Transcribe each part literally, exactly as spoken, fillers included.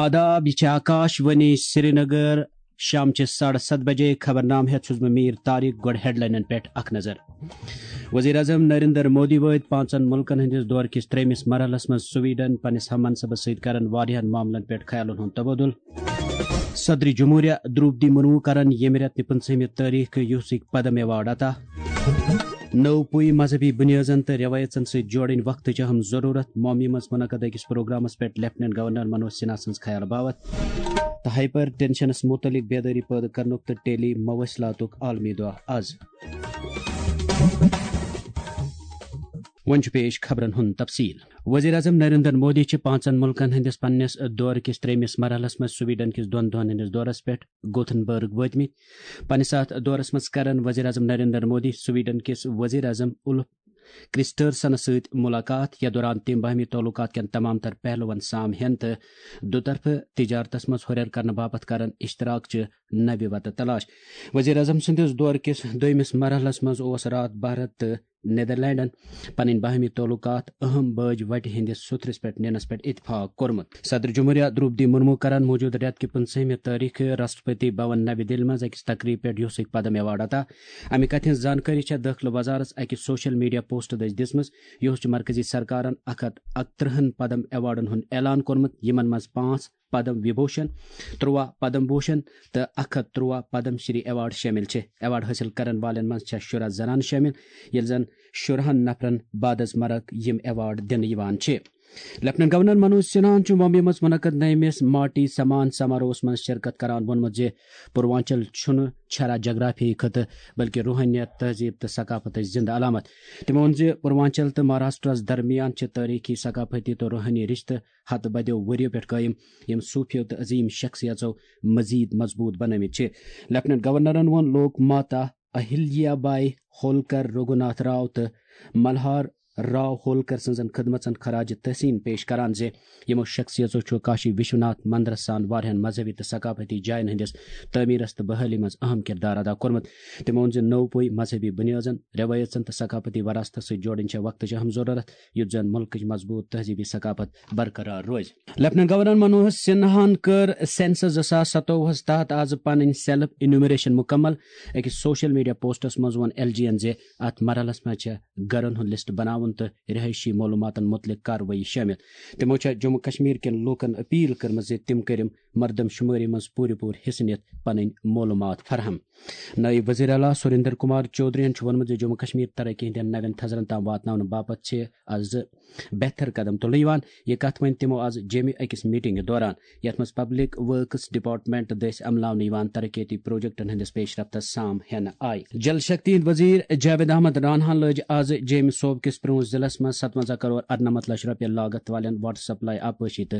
آداب، یہِ چھِ آکاش وانی سرینگر۔ شام چہِ ساڑٕ ستھ بجے خبرنامہٕ ہٮ۪تھ چھُس بہٕ میٖر طارق۔ گۄڈٕ ہیڈلاینن پٮ۪ٹھ اکھ نظر۔ وزیر اعظم نریندر مودی وٲتۍ پانٛژن مُلکن ہٕنٛدِس دورٕ کِس ترٛیٚیمِس مرحلس منٛز سویڈن، پننِس ہم منصبس سۭتۍ کرن واریاہن معاملن پٮ۪ٹھ خیالن ہُنٛد تبادلہٕ۔ صدر جمہوریہ درٛوپدی مرمو کرن ییٚمہِ رٮ۪تہٕ نہِ پٕنٛژٕہمہِ تٲریخہٕ یوسک پدم ایوارڈ عطا۔ نٔو پُے مذہبی بُنیٲزن تہٕ رٮ۪وٲیژن سۭتۍ جوڑٕنۍ وقتٕچ اہم ضروٗرت۔ ممبیہِ منٛز منعقد أکِس پروگرامس پٮ۪ٹھ لیفٹیننٹ گورنر منوج سنہا سٕنٛز خیال باوتھ۔ تہٕ ہائپر ٹینشنس متعلق بیدٲری پٲدٕ کرنُک تہٕ ٹیلی مواصلاتُک عالمی دۄہ از۔ وۄنۍ چھُ پیش خبرن ہُنٛد تفصیل۔ وزیر اعظم نریندر مودی چھِ پانٛژن مُلکن ہٕنٛدِس پننِس دورٕ کِس ترٛیٚیمِس مرحلس منٛز سویڈن کِس دۄن دۄہن ہٕنٛدِس دورس پٮ۪ٹھ گوتھنبرگ وٲتمٕتۍ۔ پننِس اتھ دورس منٛز کرن وزیر اعظم نریندر مودی سویڈن کِس وزیر اعظم اُلف کرسٹرسنس سۭتۍ ملاقات، یتھ دوران تِم باہمی تعلقات کٮ۪ن تمام تر پہلوَن سام ہٮ۪ن تہٕ دُطرفہٕ تجارتس منٛز ہُرٮ۪ر کرنہٕ باپتھ کرن اشتراک چہِ نوِ وتہٕ تلاش۔ وزیر اعظم سٕنٛدِس دورٕ کِس دوٚیمِس مرحلس منٛز اوس راتھ بھارت تہٕ نیدرلینڈن پنٕنۍ باہمی تعلقات اہم باج وٹہِ ہٕنٛدِس سُتھرِس پٮ۪ٹھ نِنس پٮ۪ٹھ اتفاق کوٚرمُت۔ صدر جمہوریہ درٛوپدی مرمو کرن موجودٕ رٮ۪تہٕ کہِ پٕنٛژٕہمہِ تٲریخہٕ راشٹرپتی بھون نَوِ دِلہِ منٛز أکِس تقریٖب پٮ۪ٹھ یوسک پدم ایوارڈ عطا۔ امہِ کتھِ ہٕنٛز زانکٲری چھےٚ دٲخلہٕ وزارتس أکِس سوشل میڈیا پوسٹ دٔسۍ دِژمٕژ۔ یُہُس چھُ مرکزی سرکارن اکھ ہتھ اکترٕہن پدم ایوارڈن ہُنٛد اعلان کوٚرمُت، یِمن منٛز پانٛژھ پدم وبھوشن، ترٛواہ پدم بھوشن تہٕ اکھ ہتھ ترٛواہ پدم شری ایوارڈ شٲمِل چھِ۔ ایوارڈ حٲصِل کرن والٮ۪ن منٛز چھےٚ شُراہ زنانہٕ شٲمِل، ییٚلہِ زن شُراہن نفرن بعد از مرگ یِم ایوارڈ دِنہٕ یِوان چھِ۔ لیفٹیننٹ گورنر منوج سنہاہن چھُ ممبیہِ منٛز منعقد نٔیمِس ماٹی سمان سماروہس منٛز شرکت کران ووٚنمُت زِ پوروانچل چھُنہٕ چھرا جغرافیہٕے خطہٕ، بلکہِ روحٲنیت، تہذیب تہٕ ثقافتٕچ زندٕ علامت۔ تٔمۍ ووٚن زِ پوروانچل تہٕ مہاراشٹرس درمیان چھِ تٲریخی، ثقافتی تہٕ روحٲنی رشتہٕ ہتہٕ بدیو ؤرِیو پٮ۪ٹھ قٲیِم، یِم صوٗفیو تہٕ عظیٖم شخصیژو مزید مضبوٗط بنٲومٕتۍ چھِ۔ لیفٹیننٹ گورنرن ووٚن لوک ماتا اہلیا بائی ہولکر، رگھوناتھ راو تہٕ ملہار راو ہولکر سٕنٛزن خدمژن خراج تحسین پیش کران زِ یِمو شخصیژو چھُ کاشی وشوناتھ مندرس سان واریاہن مذہبی تہٕ ثقافتی جاین ہٕنٛدِس تعمیرس تہٕ بحالی منٛز اہم کردار ادا کوٚرمُت۔ تٔمۍ ووٚن زِ نوٚو پُے مذہبی بُنیٲدن، رٮ۪وٲیژن تہٕ ثقافتی وراثتس سۭتۍ جوڑٕنۍ چھےٚ وقتٕچ اہم ضروٗرت، یُتھ زن مُلکٕچ مضبوٗط تہذیبی ثقافت برقرار روزِ۔ لیفٹیننٹ گورنر منوج سنہاہن کٔر سینسس زٕ ساس ستووُہس تحت آز پنٕنۍ سیلف انیومریشن مکمل۔ أکِس سوشل میڈیا پوسٹس منٛز ووٚن ایل جی ین زِ اتھ مرحلس منٛز چھےٚ گرن ہُنٛد لسٹ بناوُن تہٕ رہٲیشی معلوماتن متعلق کاروٲیی شٲمِل۔ تِمو چھےٚ جموں کشمیر کٮ۪ن لوٗکن اپیل کٔرمٕژ زِ تِم کٔرِن مردم شمٲری منٛز پوٗرٕ پوٗرٕ حصہٕ نِتھ پنٕنۍ معلومات فراہم۔ نٲیِب وزیر اعلیٰ سریندر کمار چودھرین چھُ ووٚنمُت زِ جموں کشمیر ترقی ہٕنٛدٮ۪ن نوٮ۪ن تھزرن تام واتناونہٕ باپتھ چھِ از بہتر قدم تُلنہٕ یِوان۔ یہِ کتھ ؤنۍ تِمو از جیٚمہِ أکِس میٹنگہِ دوران، یتھ منٛز پبلک ورکس ڈپارٹمنٹ دٔسۍ عملاونہٕ یِوان ترقیتی پروجیکٹن ہٕنٛدِس پیش رفتس سام ہٮ۪نہٕ آیہِ۔ جل شکتی ہٕنٛدۍ وزیر جاوید احمد راناہن لٲج از جیٚمہِ صوبہٕ کِس پرٛونٛژھ ضلعس منٛز ستوَنزاہ کرور ارنمتھ لچھ رۄپیہِ لاگت والٮ۪ن واٹر سپلائی، آبپاشی تہٕ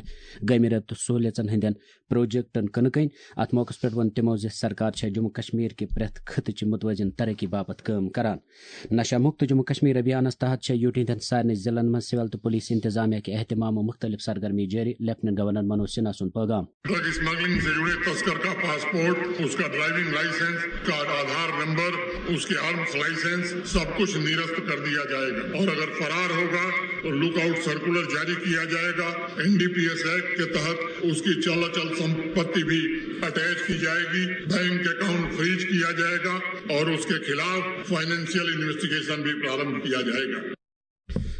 گیمہِ رٲبطہٕ سہوٗلیژن ہٕنٛدٮ۪ن پروجیکٹن کٕنہٕ کٔنۍ۔ اتھ موقعس پٮ۪ٹھ ووٚن تِمو زِ سرکار چھےٚ جموں کشمیر کہِ پرٛٮ۪تھ خطہٕ چہِ متوازن ترقی باپتھ کٲم کران۔ نشہ مکت جموں کشمیر ابھیانس تحت چھےٚ یوٗٹی ہٕنٛدٮ۪ن سارنٕے ضلعن منٛز سول تہٕ پولیس انتظامیہ کہِ اہتمام و مختلف سرگرمی جٲری، لیفٹیننٹ گورنر منوج سنہا سُنٛد پٲغام۔ ڈرگ اسمگلنگ سے جڑے تسکر کا پاسپورٹ، اس کا ڈرائیونگ لائسنس، اس کا آدھار نمبر، اس کے آرمز لائسنس، سب کچھ نرست کر دیا جائے گا اور اگر فرار ہوگا تو لک آؤٹ سرکولر جاری کیا جائے گا۔ N D P S act کے تحت اس کی چل اچل سمپتی بھی اٹیچ کی جائے گی، بینک اکاؤنٹ فریز کیا جائے گا اور اس کے خلاف فائنینشیل انویسٹیگیشن بھی پرارمبھ کیا جائے گا۔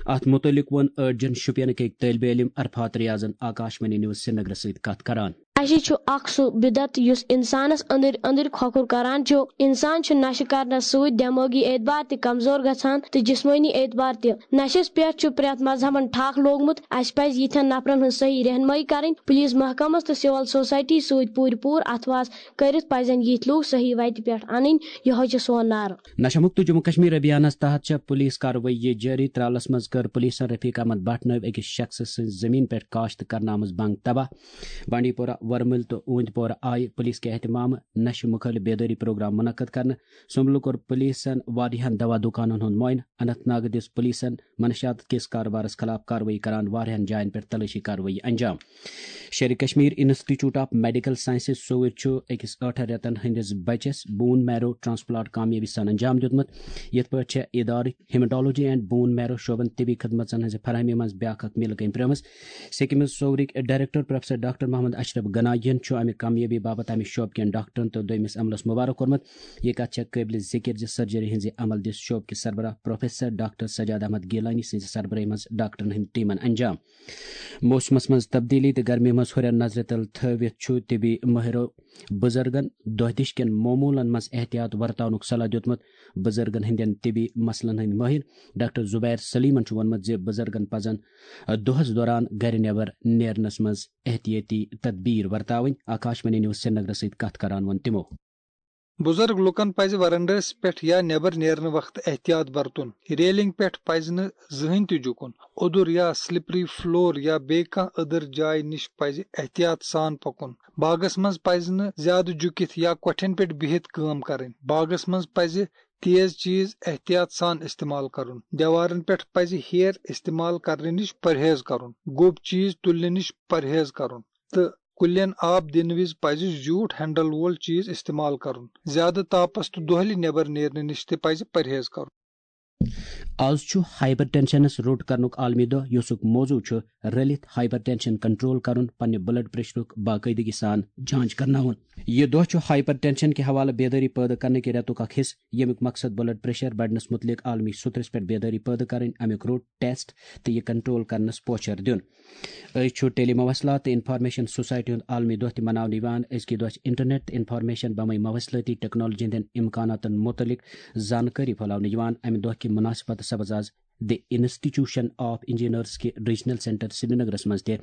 اتھ متعلق ووٚن أڈجن شوپینٕکۍ أکۍ طٲلبہِ علم عرفات ریاضن آکاشوانی نیوز سرینگرس سۭتۍ کتھ کران۔ نشہِ چھُ اکھ سُہ بدعت یُس انسانس أنٛدٕرۍ أنٛدٕرۍ کھۄکھُر کران چھُ۔ انسان چھُ نشہِ کرنس سۭتۍ دمٲغی اعتبار تہِ کمزور گژھان تہٕ جسمٲنی اعتبار تہِ۔ نشس پٮ۪ٹھ چھُ پرٛٮ۪تھ مذہبن ٹھکھ لوگمُت۔ اسہِ پزِ یِتھٮ۪ن نفرن ہٕنٛز صحیح رہنمٲیی کرٕنۍ۔ پولیس محکمس تہٕ سول سوسائٹی سۭتۍ پوٗرٕ پوٗرٕ اتھواس کٔرِتھ پزن یِتھۍ لوٗکھ صحیح وتہِ پٮ۪ٹھ انٕنۍ۔ یِہوٚے چھُ سون نعرٕ۔ نشہ مکت جموں کشمیر ابھیانس تحت چھےٚ پولیس کاروٲیی جٲری۔ ترالس منٛز کٔر پولیسن رفیق احمد بٹ نٲوۍ أکِس شخصہٕ سٕنٛزِ زٔمیٖن پٮ۪ٹھ کاشت کرنہٕ آمٕژ بنٛگ تباہ۔ بانڈی پورہ ورمُلۍ تہٕ اوٗنتۍ پورہ آیہِ پُلیٖس کہِ اہتمامہٕ نشہٕ مُخٲلِف بیدٲری پروگرام منعقد کرنہٕ۔ سُمبلہٕ کوٚر پُلیٖسن واریاہن دوا دُکانن ہُنٛد معائنہٕ۔ اننت ناگ دِژ پُلیٖسن منشیات کِس کارٕبارس خلاف کاروٲیی کران واریاہن جاین پٮ۪ٹھ تلٲشی کاروٲیی انجام۔ Sher-e Kashmir institute of medical sciences سوٚوُرۍ چھُ أکِس ٲٹھن رٮ۪تن ہٕنٛدِس بچس بون میرو ٹرانسپلانٹ کامیٲبی سان انجام دیُتمُت۔ یِتھ پٲٹھۍ چھےٚ ادارٕکۍ ہیمٹالوجی اینڈ بون میرو شعبن طبی خدمژن ہٕنٛزِ فراہمی منٛز بیاکھ اکھ میل کٔمۍ پرٛٲمٕژ۔ سکمز سوٚوُرٕکۍ director professor doctor Mohammad Ashraf گناگین چھُ امہِ کامیٲبی باپتھ امہِ شعبہٕ کٮ۪ن ڈاکٹرن تہٕ دوٚیمِس عملس مبارک کوٚرمُت۔ یہِ کتھ چھےٚ قٲبلِ ذِکر زِ سرجری ہٕنٛزِ عمل دِژ شعبہٕ کِس سربراہ پروفیسر ڈاکٹر سجاد احمد گیلانی سٕنٛزِ سربرٲہی منٛز ڈاکٹرن ہٕنٛدِ ٹیمن انجام۔ موسمس منٛز تبدیلی تہٕ گرمی منٛز ہُرٮ۪ر نظرِ تل تھٲوِتھ چھُ طبی مٲہرو بُزرگن دۄہ دِش کٮ۪ن معموٗلن منٛز احتیاط ورتاونُک صلاح دیُتمُت۔ بُزرگن ہٕنٛدٮ۪ن طبی مسلن ہٕنٛدۍ مٲہِر ڈاکٹر زبیر سلیمن چھُ ووٚنمُت زِ بُزرگن پزن دۄہس دوران گرِ نٮ۪بر نیرنس منٛز احتیاطی تدبیر ورتاوٕنۍ۔ آکاشوانی نیوز سرینگرس سۭتۍ کتھ کران ووٚن تِمو۔ بُزرگ لوٗکن پزِ ورنڈس پٮ۪ٹھ یا نٮ۪بر نیرنہٕ وقتہٕ احتیاط برتُن۔ ریلنگ پٮ۪ٹھ پزِ نہٕ زٕہٕنۍ تہِ جُکُن۔ اوٚدُر یا سلپری فلور یا بیٚیہِ کانٛہہ أدٕر جایہِ نِش پزِ احتیاط سان پکُن۔ باغس منٛز پزِ نہٕ زیادٕ جُکِتھ یا کۄٹھٮ۪ن پٮ۪ٹھ بِہِتھ کٲم کرٕنۍ۔ باغس منٛز پزِ تیز چیز احتیاط سان استعمال کرُن۔ دیوارن پٮ۪ٹھ پزِ ہیر استعمال کرنہٕ نِش پرہیز کرُن۔ گوٚب چیز تُلنہٕ نِش پرہیز کرُن تہٕ کُلٮ۪ن آب دِنہٕ وِزِ پزِ زیوٗٹھ ہینڈل وول چیز استعمال کرُن۔ زیادٕ تاپس تہٕ دۄہلہِ نٮ۪بر نیرنہٕ نِش تہِ پزِ پرہیز کرُن۔ آز چھُ ہائپر ٹینشنس روٚٹ کرنُک عالمی دۄہ، یُسُک موضوع چھُ رٔلِتھ ہائپر ٹینشن کنٹرول کرُن، پننہِ بلڈ پریشرُک باقٲعدگی سان جانچ کرناوُن۔ یہِ دۄہ چھُ ہائپر ٹینشن کہِ حوالہٕ بیدٲری پٲدٕ کرنہٕ کہِ رٮ۪تُک اکھ حصہٕ، ییٚمیُک مقصد بلڈ پریشر بڑنس مُتعلق عالمی سُترس پٮ۪ٹھ بیدٲری پٲدٕ کرٕنۍ، امیُک روٚٹ، ٹیسٹ تہٕ یہِ کنٹرول کرنس پوچھر دیُن۔ أزۍ چھُ ٹیلی مواصلات تہٕ انفارمیشن سوسائٹی ہُنٛد عالمی دۄہ تہِ مناونہٕ یِوان۔ أزکہِ دۄہ چھِ انٹرنیٹ تہٕ انفارمیشن بمے مواصلٲتی ٹیکنالوجی ہٕنٛدٮ۪ن امکاناتن مُتعلق زانکٲری پھٔہلاونہٕ یِوان۔ امہِ دۄہ کہِ مناسبتہٕ سپٕز آز The Institution of Engineers کہِ ریجنل سینٹر سرینگرس منٛز تہِ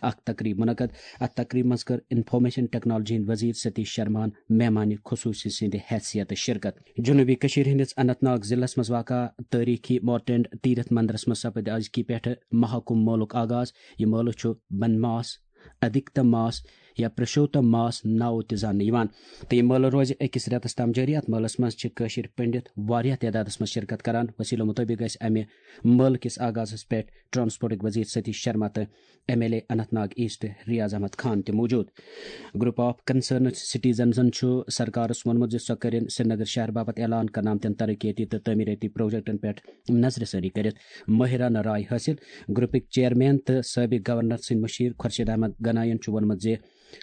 اکھ تقریب منعقد۔ اتھ تقریبہِ منٛز کٔر انفارمیشن ٹیکنالوجی ہٕنٛدۍ وزیر ستیش شرماہن مہمان خصوصی سٕنٛدِ حیثیتہٕ شرکت۔ جنوبی کٔشیٖر ہٕنٛدِس اننت ناگ ضلعس منٛز واقع تٲریٖخی مارٹینڈ تیرتھ مندرس منٛز سپٕدِ أزکہِ پٮ۪ٹھٕ مہاکُمب مٲلُک آغاز۔ یہِ مٲلہٕ چھُ بن ماس، ادھکتم ماس یا پرشوتم ماس ناوٕ تہِ زاننہٕ یِوان۔ تہٕ یہِ مٲلہٕ روزِ أکِس رٮ۪تس تام جٲری۔ اتھ مٲلس منٛز چھِ کٲشِر پنڈت واریاہ تعدادس منٛز شرکت کران۔ وسیلو مُطٲبق گژھِ امہِ مٲلہٕ کِس آغازس پٮ۪ٹھ ٹرانسپورٹٕکۍ وزیر ستیش شرما تہٕ M L A Anantnag east Riyaz Ahmad Khan تہِ موجود۔ گروپ آف کنسرنڈ سٹیزنزن چھُ سرکارس ووٚنمُت زِ سۄ کٔرِن سرینگر شہر باپتھ اعلان کرنہٕ آمتٮ۪ن ترقیتی تہٕ تعمیٖرٲتی پروجیکٹن پٮ۪ٹھ نظرِ ثٲنی کٔرِتھ مٲہرانہٕ راے حٲصِل۔ گروپٕکۍ چیئرمین تہٕ سٲبق گورنر سٕنٛدۍ مُشیر خورشید احمد گناین چھُ ووٚنمُت زِ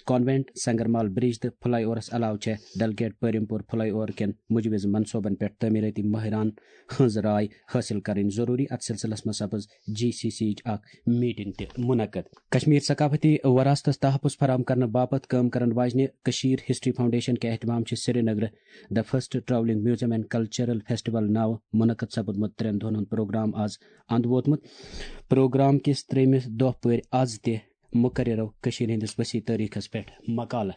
کانوینٹ، سنگرمال برج تہٕ فلائی اوورس علاوٕ چھےٚ ڈل گیٹ پیرمپور فلائی اوور کٮ۪ن مجوز منصوبن پٮ۪ٹھ تعمیٖرٲتی مٲہرانہٕ ہٕنٛز راے حٲصِل کرٕنۍ ضروٗری۔ اتھ سلسلس منٛز سپٕز جی سی سی یِچ اکھ میٹنگ تہِ منعقد۔ کشمیر ثقافتی وراثتس تحفظ فراہم کرنہٕ باپتھ کٲم کرن واجنہِ کشمیر ہسٹری فاؤنڈیشن کہِ اہتمام چھِ سرینگرٕ The First Travelling Museum and Cultural Festival ناوٕ منعقد سپُدمُت ترٛٮ۪ن دۄہن ہُنٛد پروگرام آز اند ووتمُت۔ پروگرام کِس ترٛیٚیمِس دۄہ پٲرۍ آز تہِ مقررو کٔشیٖرِ ہٕنٛدِس وسیع تٲریٖخس پٮ۪ٹھ مقالہٕ۔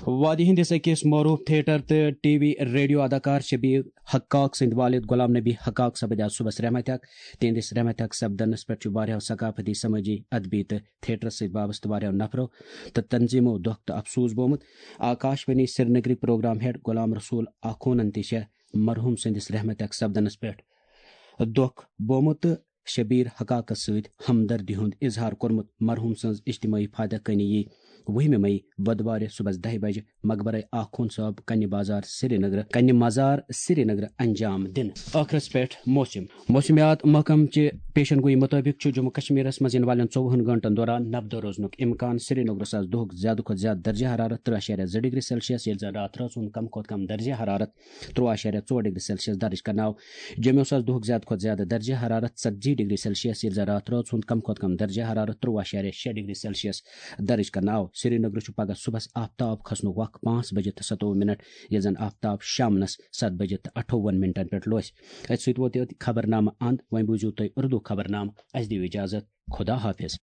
وادی ہٕنٛدِس أکِس معروٗف تھیٹر تہٕ ٹی وی ریڈیو اداکار شبیر حقاق سٕنٛدۍ والد غلام نبی حقاق سپٕدۍ آز صُبحس رحمتِ حق۔ تِہنٛدِس رحمتِ حق سپدنس پٮ۪ٹھ چھُ واریاہو ثقافتی، سمٲجی، ادبی تہٕ تھیٹرس سۭتۍ وابستہٕ واریاہو نفرو تہٕ تنظیمو دۄکھ تہٕ افسوس بومُت۔ آکاشوانی سرینگری پروگرام ہیڈ غلام رسول آخونن تہِ چھےٚ مرحوم سٕنٛدِس رحمتِ حق سپدنس پٮ۪ٹھ دۄکھ بومُت تہٕ شبیر حقاقس سۭتۍ ہمدردی ہُنٛد اظہار کوٚرمُت۔ مرحوم سٕنٛز اجتمٲعی فاتح کٲنی یی وُہمہِ مئی بدوارِ صُبحس دَہہِ بجہِ مقبرہ آخوند صٲب کنہِ بازار سرینگر، کنہِ مزار سرینگر انجام دِنہٕ۔ ٲخرس پٮ۪ٹھ موسم۔ موسمیات محکمہٕ چہِ پیشن گویی مُطٲبِق چھُ جموں کشمیرس منٛز یِنہٕ والٮ۪ن ژوٚوُہن گٲنٛٹن دوران نبدٕ روزنُک امکان۔ سرینگرس آز دۄہُک زیادٕ کھۄتہٕ زیادٕ درجہ حرارت ترٛہ اعشاریہ زٕ ڈگری سیلسیس، ییٚلہِ زن راتھ رٲژ ہُنٛد کم کھۄتہٕ کم درجہ حرارت ترٛوٚوُہ اعشاریہ ژور ڈگری سیلسیس درج کرنہٕ آو۔ جوٚمہِ اوس آز دۄہُک زیادٕ کھۄتہٕ زیادٕ درجہ حرارت ژتجی ڈگری سیلسیس، ییٚلہِ زن راتھ رٲژ ہُنٛد کم کھۄتہٕ کم درجہ حرارت ترٛوٚوُہ اعشاریہ شےٚ ڈگری سیلسیس درج کرنہٕ آو۔ سرینگرٕ چھُ پگہہ صُبحس آفتاب کھسنُک وق پانٛژھ بجہِ تہٕ ستووُہ منٹ، ییٚلہِ زن آفتاب شامنس ستھ بجہِ تہٕ اٹھووُہن منٹن پٮ۪ٹھ لوسہِ۔ أتھۍ سۭتۍ ووت یوت خبرنامہٕ اند۔ وۄنۍ بوٗزِو تُہۍ اردو خبرنامہٕ۔ اسہِ دِیِو اجازت۔ خدا حافظ۔